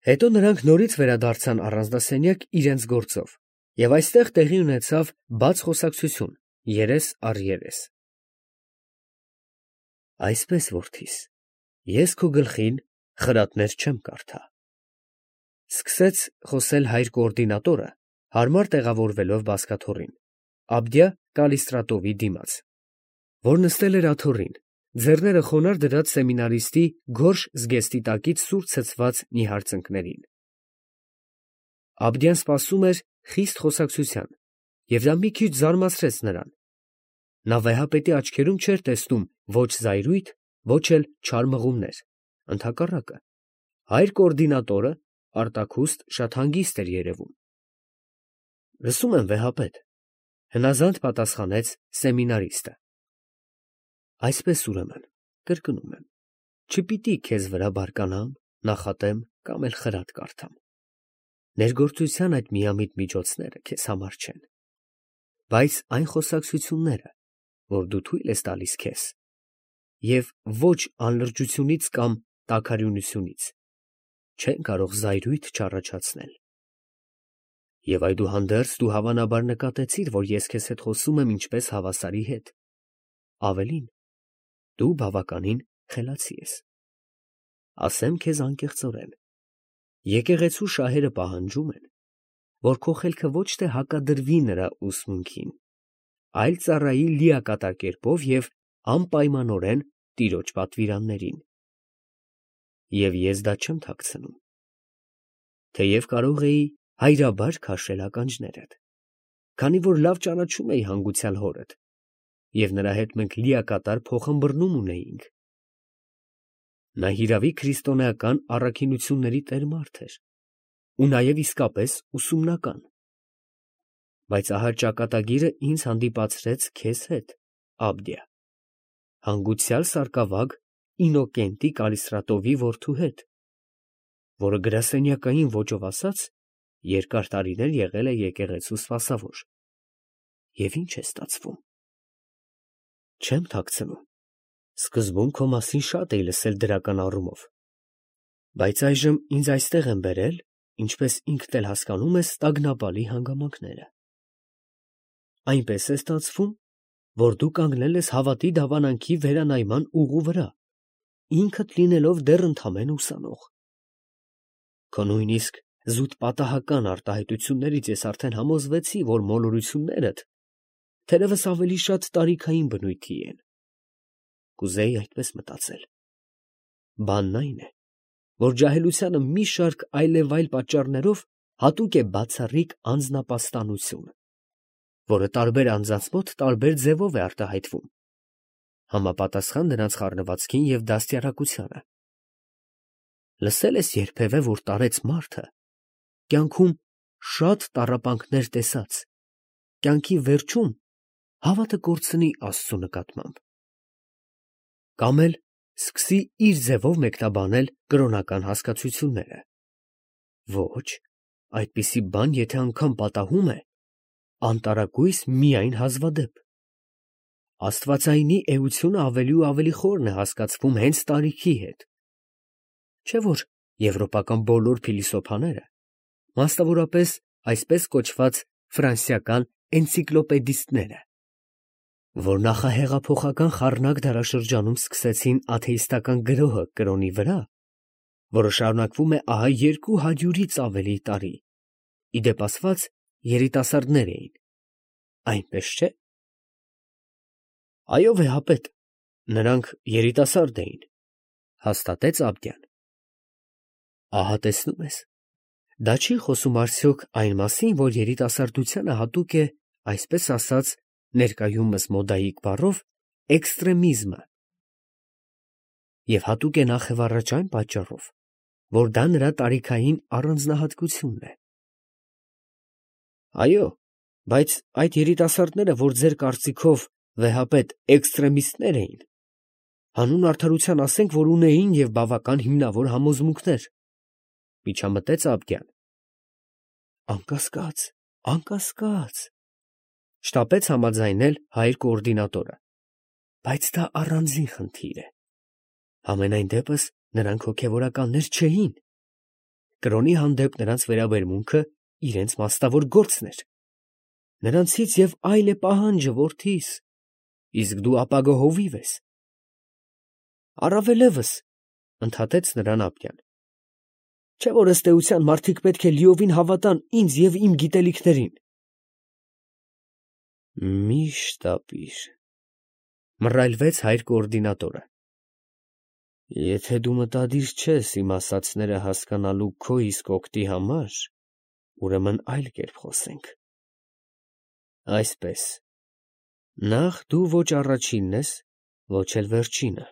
Հետո նրանք նորից վերադարձան առանձնասենյակ իրենց գործով, և այստեղ տեղի ունեցավ բաց խոսակցություն, երես առ երես։ Այսպես, որդիս, ես քո գլխին խրատներ չեմ կարդա, սկսեց խոսել հայր կոորդինատորը, հարմար տեղավորվելով բազկաթոռին, Աբդիա Կալիստրատովի դիմաց, որ նստել էր աթոռին, ձեռները խոնարհ դրած սեմինարիստի գորշ զգեստի տակից սուր ցցված նիհար ծնկներին։ Աբդիան սպասում էր խիստ խոսակցության, և դա մի քիչ զարմացրեց նրան. նա վեհապետի աչքերում չէր տեսնում ոչ զայրույթ, ոչ էլ չար մղումներ, ընդհակառակը, հայր կոորդինատորը արտաքուստ շատ հանգիստ էր երևում։ Լսում եմ, վեհապետ, հնազանդ պատասխանեց սեմինարիստը։ Այսպես ուրեմն, կրկնում եմ, չպիտի քեզ վրա բարկանամ, նախատեմ կամ էլ խրատ կարդամ։ Ներգործության այդ միամիտ միջոցները քեզ համար չեն, բայց այն խոսակցությունները, որ դու թույլ ես տալիս քեզ, և ոչ անլրջությունից կամ տաքարյունությունից, չեն կարող զայրույթ չառաջացնել։ Եվ այդուհանդերձ դու հավանաբար նկատեցիր, որ ես քեզ հետ խոսում եմ ինչպես հավասարի հետ, ավելին, դու բավականին խելացի ես։ Ասեմ քեզ անկեղծորեն, եկեղեցու շահերը պահանջում են, որ քո խելքը ոչ թե հակադրվի նրա ուսմունքին, այլ ծառայի լիակատար կերպով և անպայմանորեն տիրոջ պատվիրաններին։ Եվ ես դա չեմ թաքցնում, թեև կարող էի հայրաբար քաշել ականջներդ, քանի որ լավ ճանաչում էի հանգուցյալ հորդ, և նրա հետ մենք լիակատար փոխըմբռնում ունեինք։ Նա հիրավի քրիստոնեական առաքինությունների տեր մարդ էր, ու նաև իսկապես ուսումնական։ Բայց ահա ճակատագիրը ինձ հանդիպացրեց քեզ հետ, Աբդիա, հանգուցյալ սարկավագ Ինոկենտի Կալիստրատովի որդու հետ, որը գրասենյակային ոճով ասած, երկար տարիներ եղել է եկեղեցու սպասավոր։ Եվ ինչ է ստացվում։ Չեմ թաքցնում, սկզբում քո մասին շատ էի լսել դրական առումով, բայց այժմ ինձ այստեղ են բերել, ինչպես ինքդ էլ հասկանում ես, տագնապալի հանգամանքները։ Այնպես է ստացվում, որ դու կանգնել ես հավատի դավանանքի վերանայման ուղու վրա, ինքդ լինելով դեռ ընդամենը ուսանող։ Քո նույնիսկ զուտ պատահական արտահայտություններից ես արդեն համոզվեցի, որ մոլորություններդ թերևս ավելի շատ տարիքային բնույթի են։ Կուզեի այդպես մտածել։ Բանն այն է, որ ջահելությանը մի շարք այլևայլ պատճառներով հատուկ է բացառիկ անձնապաստանություն, որը տարբեր անձանց մոտ տարբեր ձևով է արտահայտվում, համապատասխան նրանց խառնվածքին և դաստիարակությանը։ Լսել ես երբևէ, որ տարեց մարդը կյանքում շատ տառապանքներ տեսած, կյանքի վերջում հավատը կորցնի Աստծու նկատմամբ, կամ էլ սկսի իր ձևով մեկնաբանել կրոնական հասկացությունները։ Ոչ, այդպիսի բան եթե անգամ պատահում է, անտարակույս միայն հազվադեպ։ Աստվածայինի էությունը ավելի ու ավելի խորն է հասկացվում հենց տարիքի հետ, չէ՞ որ եվրոպական բոլոր փիլիսոփաները, մասնավորապես այսպես կոչված ֆրանսիական էնցիկլոպեդիստները, որ նախահեղափոխական խառնակ դարաշրջանում սկսեցին աթեիստական գրոհը կրոնի վրա, որը շարունակվում է ահա 200-ից ավելի տարի, ի դեպ ասված երիտասարդներ էին, այնպես չէ՞։ Այո, վեհապետ, նրանք երիտասարդ էին, հաստատեց Աբդյան։ Ահա տեսնում ես, դա չի խոսում արդյոք այն մասին, որ երիտասարդությանը հատուկ է, այսպես ասած, ներկայումս մոդայիկ բառով, էքստրեմիզմը, և հատուկ է նախևառաջ այն պատճառով, որ դա նրա տարիքային առանձնահատկությունն է։ Այո, բայց այդ երիտասարդները, որ ձեր կարծիքով, վեհապետ, էքստրեմիստներ էին, հանուն արդարության ասենք, որ ունեին և բավական հիմնավոր համոզմունքներ, միջամտեց Աբդյան։ Անկասկած, անկասկած, շտապեց համաձայնել հայր կոորդինատորը, բայց դա առանձին խնդիր է։ Համենայն դեպս նրանք հոգևորականներ չէին, կրոնի հանդեպ նրանց վերաբերմունքը իրենց մասնավոր գործն էր։ Նրանցից և այլ է պահանջը, որդիս, իսկ դու ապագա հովիվ ես։ Առավելևս, ընդհատեց նրան Աբգյան, չէ՞ որ ըստ էության մարդիկ պետք է լիովին հավատան ինձ և իմ գիտելիքներին։ Միշտ ապիր, մռայլվեց հայր կոորդինատորը։ Եթե դու մտադիր չես իմ ասածները հասկանալու քո իսկ օգտի համար, ուրեմն այլ կերպ խոսենք։ Այսպես, նախ դու ոչ առաջինն ես, ոչ էլ վերջինը,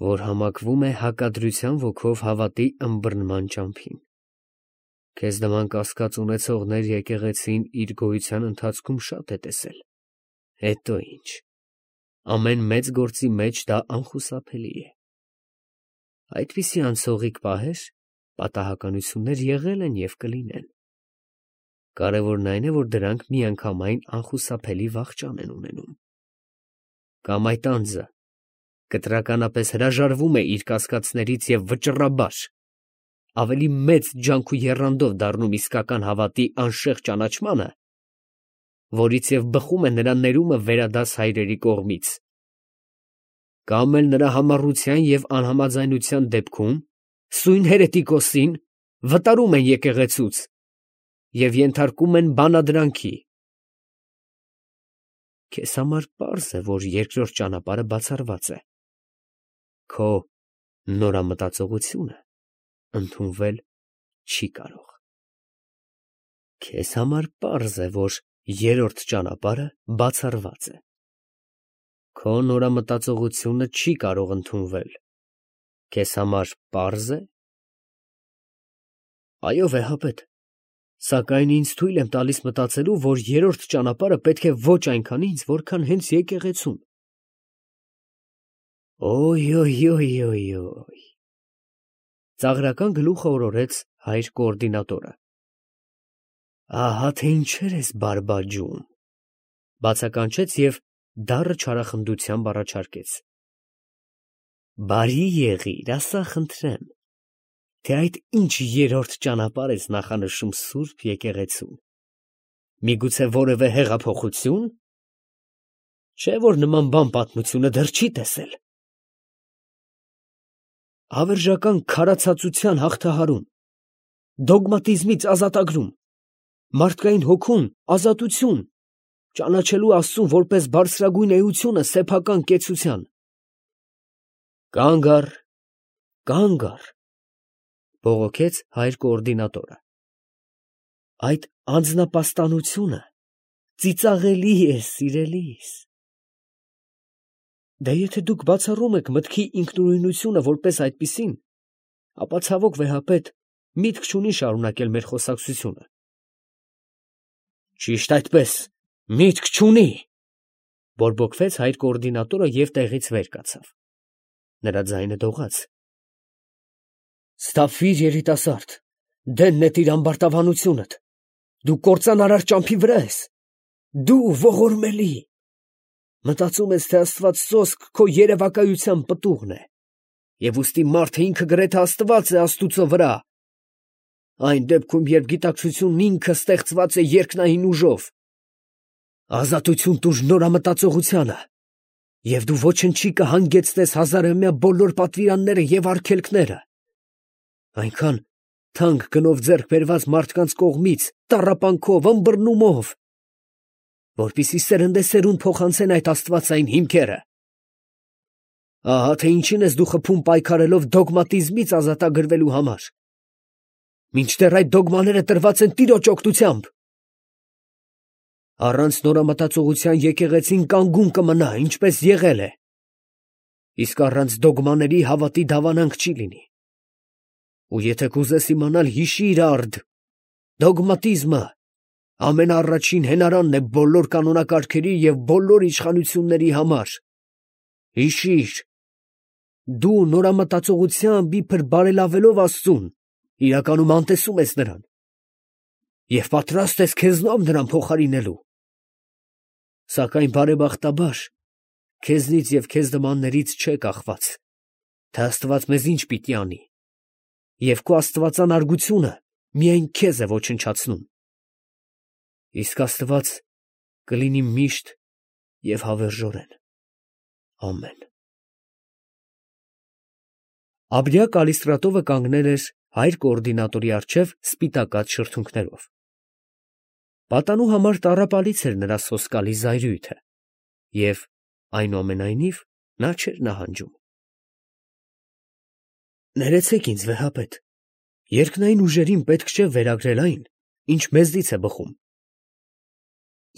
որ համակվում է հակադրության ոգով հավատի ըմբռնման ճամփին։ Քեզ նման կասկած ունեցողներ եկեղեցին իր գոյության ընթացքում շատ է տեսել։ Հետո ինչ։ Ամեն մեծ գործի մեջ դա անխուսափելի է։ Այդպիսի անցողիկ պահեր, պատահականություններ եղել են և կլինեն։ Կարևորն այն է, որ դրանք միանգամայն անխուսափելի վախճան են ունենում։ Կամ այդ անձը կտրականապես հրաժարվում է իր կասկածներից և վճռաբար, ավելի մեծ ջանք ու եռանդով դառնում իսկական հավատի անշեղ ճանաչմանը, որից և բխում է նրա ներումը վերադաս հայրերի կողմից, կամ էլ նրա համառության և անհամաձայնության դեպքում սույն հերետիկոսին վտարում են եկեղեցուց և ենթարկում են բանադրանքի։ Քեզ համար պարզ է, որ երկրորդ ճանապարհը բացառված է։ Քո նորամտածողությունը ընդունվել չի կարող։ Քեզ համար պարզ է, որ երրորդ ճանապարհը բացառված է։ Քո նորամտածողությունը չի կարող ընդունվել։ Քեզ համար պարզ է։ Այո, վեհապետ, սակայն ինձ թույլ եմ տալիս մտածելու, որ երրորդ ճանապարհը պետք է ոչ այնքան ինձ, որքան հենց եկեղեցուն։ Օյ, ծաղրական գլուխը օրորեց հայր կոորդինատորը։ Ահա թե ինչեր ես բարբաջում, բացականչեց և դառը չարախնդությամբ առաջարկեց։ Բարի եղիր, ասա խնդրեմ, թե այդ ինչ երրորդ ճանապարհ ես նախանշում սուրբ եկեղեցուն, միգուցե որևէ հեղափոխությո՞ւն, չէ՞ որ նման բան պատմությունը դեռ չի տեսել։ Հավերժական քարացածության հաղթահարում, դոգմատիզմից ազատագրում, մարդկային հոգուն ազատություն, ճանաչելու Աստծուն որպես բարձրագույն էությունը սեփական կեցության։ Կանգ առ, բողոքեց հայր կոորդինատորը։ Այդ անձնապաստանությունը ծիծաղելի է, սիրելիս։ Դե եթե դուք բացառում եք մտքի ինքնուրույնությունը որպես այդպիսին, ապա ցավոք վեհապետ, միտք չունի շարունակել մեր խոսակցությունը։ Ճիշտ այդպես, միտք չունի, բորբոքվեց հայր կոորդինատորը և տեղից վեր կացավ։ Նրա ձայնը դողաց։ Սթափվիր, երիտասարդ, դեն նետիր ամբարտավանությունդ, դու կործանարար ճամփի վրա ես, դու ողորմելի, մտածում ես, թե Աստված սոսկ քո երևակայության պտուղն է, և ուստի մարդը ինքը գրեթե Աստված է Աստուծո վրա, այն դեպքում, երբ գիտակցությունն ինքը ստեղծված է երկնային ուժով։ Ազատություն տուր նորամտածողությանը, և դու ոչնչի կհանգեցնես հազարամյա բոլոր պատվիրանները և արգելքները, այնքան թանկ գնով ձեռք բերված մարդկանց կողմից, տառապանքով, ըմբռնումով, որպեսզի սերնդեսերունդ փոխանցեն այդ աստվածային հիմքերը։ Ահա թե ինչին ես դու խփում պայքարելով դոգմատիզմից ազատագրվելու համար, մինչդեռ այդ դոգմաները տրված են Տիրոջ օգնությամբ։ Առանց նորամտածողության եկեղեցին կանգուն կմնա, ինչպես եղել է, իսկ առանց դոգմաների հավատի դավանանք չի լինի։ Ու եթե կուզես իմանալ, հիշի՛ր արդ, դոգմատիզմը ամենաառաջին հենարանն է բոլոր կանոնակարգերի և բոլոր իշխանությունների համար։ Հիշի՛ր, դու նորամտածողությամբ իբր բարելավելով Աստծուն, իրականում անտեսում ես նրան և պատրաստ ես քեզնով նրան փոխարինելու։ Սակայն բարեբախտաբար, քեզնից և քեզ նմաններից չէ կախված, թե Աստված մեզ ինչ պիտի անի։ և քո աստվածանարգությունը միայն քեզ է ոչնչացնում։ Իսկ Աստված կլինի միշտ և հավերժորեն։ Ամեն։ Աբդիա Կալիստրատովը կանգնել էր հայր կոորդինատորի առջև սպիտակած շրթունքներով։ Պատանու համար տառապալից էր նրա սոսկալի զայրույթը, և այնուամենայնիվ նա չէր նահանջում։ Ներեցեք ինձ, վեհապետ, երկնային ուժերին պետք չէ վերագրել այն, ինչ մեզնից է բխում։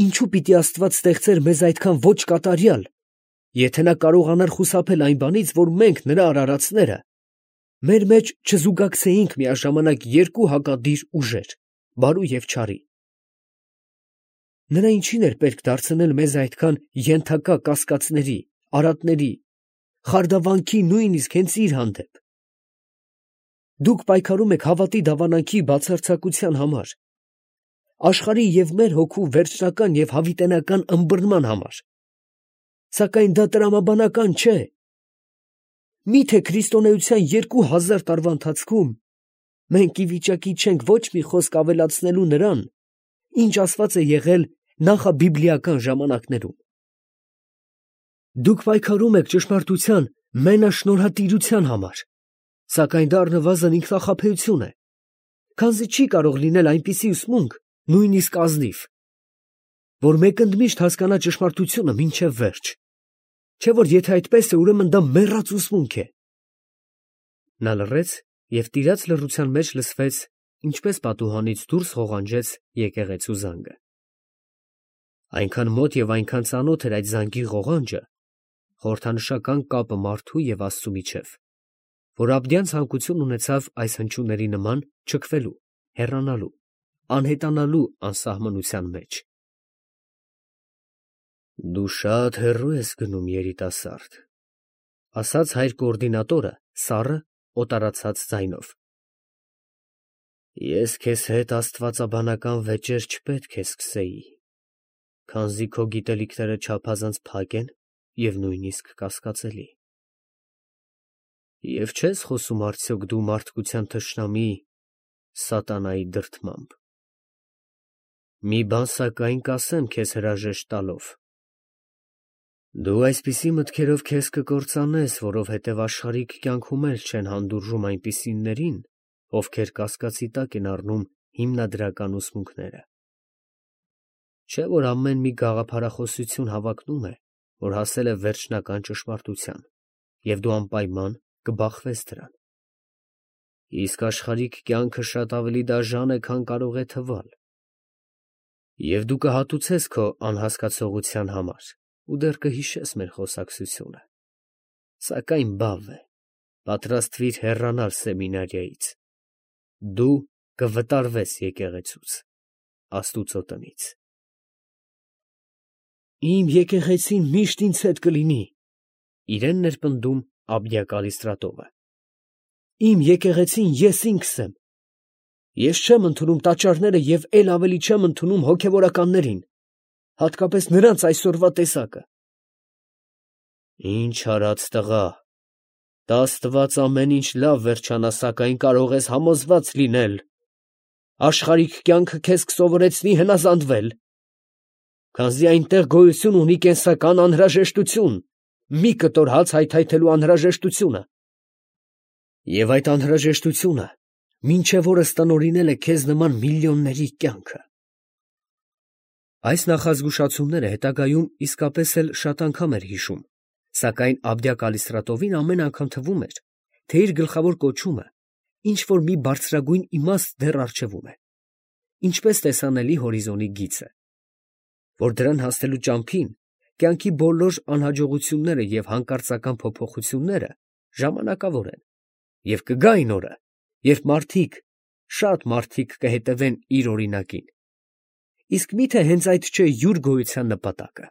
Ինչու պիտի Աստված ստեղծեր մեզ այդքան ոչ կատարյալ, եթե նա կարողանար խուսափել այն բանից, որ մենք, նրա արարածները, մեր մեջ չզուգակցեինք միաժամանակ երկու հակադիր ուժեր՝ բարու և չարի։ Նրա ինչին էր պետք դարձնել մեզ այդքան ենթակա կասկածների, արատների, խարդավանքի նույնիսկ հենց իր հանդեպ։ Դուք պայքարում եք հավատի դավանանքի բացարձակության համար, աշխարհի և մեր հոգու վերջնական և հավիտենական ըմբռնման համար, սակայն դա տրամաբանական չէ։ Մի՞թե քրիստոնեության 2000 տարվա ընթացքում մենք ի վիճակի չենք ոչ մի խոսք ավելացնելու նրան, ինչ ասված է եղել նախաբիբլիական ժամանակներում։ Դուք պայքարում եք ճշմարտության մենաշնորհատիրության համար, սակայն դա առնվազն ինքնախաբեություն է, քանզի չի կարող լինել այնպիսի ուսմունք, նույնիսկ ազնիվ, որ մեկընդմիշտ հասկանա ճշմարտությունը մինչև վերջ, չէ՞ որ եթե այդպես է, ուրեմն դա մեռած ուսմունք է։ Նա լռեց, և տիրած լռության մեջ լսվեց, ինչպես պատուհանից դուրս ղողանջեց եկեղեցու զանգը։ Այնքան մոտ և այնքան ծանոթ էր այդ զանգի ղողանջը, խորհրդանշական կապը մարդու և Աստծու միջև, որ Աբդյան ցանկություն ունեցավ այս հնչյունների նման չքվելու, հեռանալու, անհետանալու անսահմանության մեջ։ Դու շատ հեռու ես գնում, երիտասարդ, ֊ ասաց հայր կոորդինատորը սառը, օտարացած ձայնով։ Ես քեզ հետ աստվածաբանական վեճեր չպետք է սկսեի, քանզի քո գիտելիքները չափազանց փակ են և նույնիսկ կասկածելի։ Եվ չես խոսում արդյոք դու մարդկության թշնամի սատանայի դրդմամբ։ Մի բան սակայն կասեմ քեզ հրաժեշտ տալով. դու այսպիսի մտքերով քեզ կկործանես, որովհետև աշխարհիկ կյանքում էլ չեն հանդուրժում այնպիսիներին, ովքեր կասկածի տակ են առնում հիմնադրական ուսմունքները։ Չէ՞ որ ամեն մի գաղափարախոսություն հավակնում է, որ հասել է վերջնական ճշմարտության, և դու անպայման կբախվես դրան։ Իսկ աշխարհիկ կյանքը շատ ավելի դաժան է, քան կարող է թվալ, և դու կհատուցես քո անհասկացողության համար ու դեռ կհիշես մեր խոսակցությունը, սակայն բավ է, պատրաստվիր հեռանալ սեմինարիայից, դու կվտարվես եկեղեցուց, Աստուծո տնից։ Իմ եկեղեցին միշտ ինձ հետ կլինի, ֊ իրենն էր պնդում Աբդիա Կալիստրատովը։ Իմ եկեղեցին ես ինքս եմ։ Ես չեմ ընդունում տաճարները և էլ ավելի չեմ ընդունում հոգևորականներին, հատկապես նրանց այսօրվա տեսակը։ Ինչ արած տղա, տա Աստված ամեն ինչ լավ վերջանա, սակայն կարող ես համոզված լինել, աշխարհիկ կյանքը քեզ կսովորեցնի հնազանդվել, քանզի այնտեղ գոյություն ունի կենսական անհրաժեշտություն, մի կտոր հաց հայթայթելու անհրաժեշտությունը։ Եվ այդ անհրաժեշտությունը մինչև օրս տնօրինել է քեզ նման միլիոնների կյանքը։ Այս նախազգուշացումները հետագայում իսկապես էլ շատ անգամ էր հիշում, սակայն Աբդիա Կալիստրատովին ամեն անգամ թվում էր, թե իր գլխավոր կոչումը ինչ֊որ մի բարձրագույն իմաստ դեռ առջևում է, ինչպես տեսանելի հորիզոնի գիծը, որ դրան հասնելու ճամփին կյանքի բոլոր անհաջողությունները և հանկարծական փոփոխությունները ժամանակավոր են, և կգա այն օրը, երբ մարդիկ, շատ մարդիկ կհետևեն իր օրինակին։ Իսկ մի՞թե հենց այդ չէ յուր գոյության նպատակը։